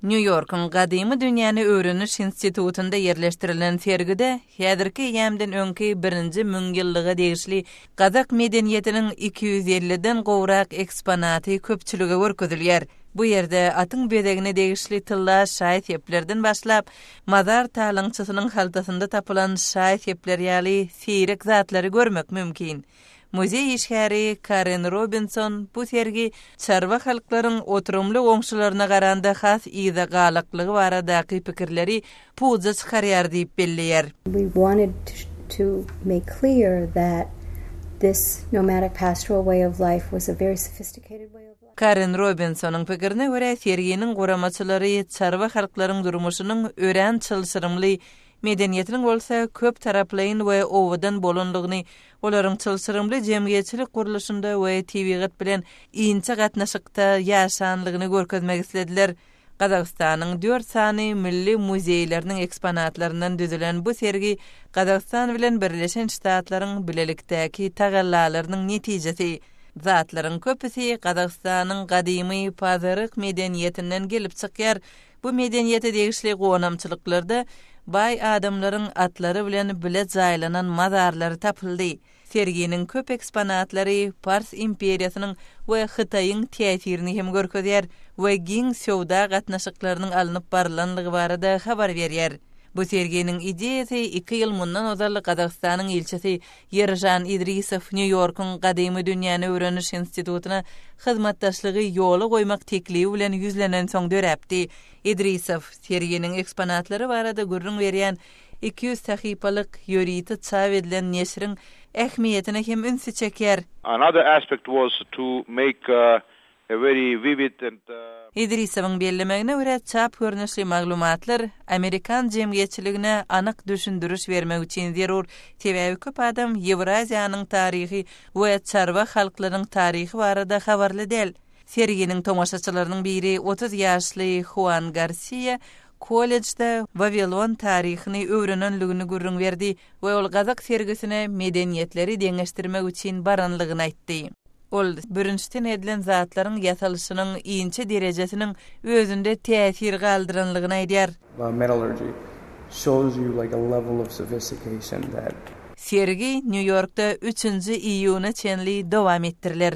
Nýu-Ýorkuň Gadymy dünýäni öwreniş institutynda ýerleşdirilen sergide häzirki eýýamdan öňki birinji müňýyllyga degişli gazak medeniýetiniň 250-den gowrak eksponaty köpçülige görkezilýär. Bu ýerde atyň bezegine degişli tylla şaý-seplerden başlap, mazar talaňçysynyň haltasynda tapylan şaý-sepler ýaly seýrek zatlary görmek mümkin. Muzeý işgäri Karen Robinson bu sergi çarwa halklaryň oturymly goňşularyna garanda has yza galaklygy baradaky pikirleri puja çykarýar diýip belleýär. We wanted to make clear that this nomadic pastoral way of life was a very sophisticated way of life. Karen Robinsonyň pikirine görä, serginiň guramaçylary çarwa halklaryň durmuşynyň örän çylşyrymly Medeniýetiniň bolsa köp taraplaýyn we owadan bolanlygyny, olaryň çylşyrymly jemgyýetçilik gurluşynda we tebigat bilen inçe gatnaşykda ýaşanlygyny görkezmek islediler. Gazagystanyň dört sany milli muzeýleriniň eksponatlaryndan düzülen bu sergi Gazagystan bilen Birleşen Ştatlaryň bilelikdäki tagallalarynyň netijesi. Zatlaryň köpüsi Gazagystanyň gadymy Pazyryk medeniýetinden gelip çykýar, Bu medeniýete degişli gonamçylyklarda baý adamlaryň atlary bilen bile jaýlanan mazarlary tapyldy. Serginiň köp eksponatlary Pars imperiýasynyň we Hytaýyň täsirini hem görkezýär we giň söwda gatnaşyklarynyň alnyp barylanlygy barada habar berýär. Bu serginiň ideýasy iki ýyl mundan ozal Gazagystanyň ilçisi Ýeržan Idrisow Nýu-Ýorkuň Gadymy dünýäni öwreniş institutyna hyzmatdaşlygy ýola goýmak teklibi bilen ýüzlenensoň döräpdi. Idrisow, serginiň eksponatlary barada gürrüň berýän 200 sahypalyk ýörite çap edilen neşiriň ähmiýetine hem ünsi çekýär. Another aspect was to make A very vivid and. Idrisowyň bellemegine görä, çap görnüşli maglumatlar amerikan jemgyýetçiligine anyk düşündiriş bermek üçin zerur, sebäbi köp adam Ýewraziýanyň taryhy we çarwa halklaryň taryhy barada habarly däl. Serginiň tomaşaçylarynyň biri 30 ýaşly Huan Garsiýa kollejde Wawilon taryhyny öwrenenligini gürrüň berdi we ol gazak sergisine medeniýetleri deňeşdirmek üçin baranlygyny aýtdy. Ol bürünçden edilen zatlaryň ýasalyşynyň inçe derejesiniň özünde täsir galdyranlygyny aýdýar. Metallurgy shows you like a level of sophistication that. Sergi Nýu-Ýorkda üçünji iýuna çenli dowam etdiriler.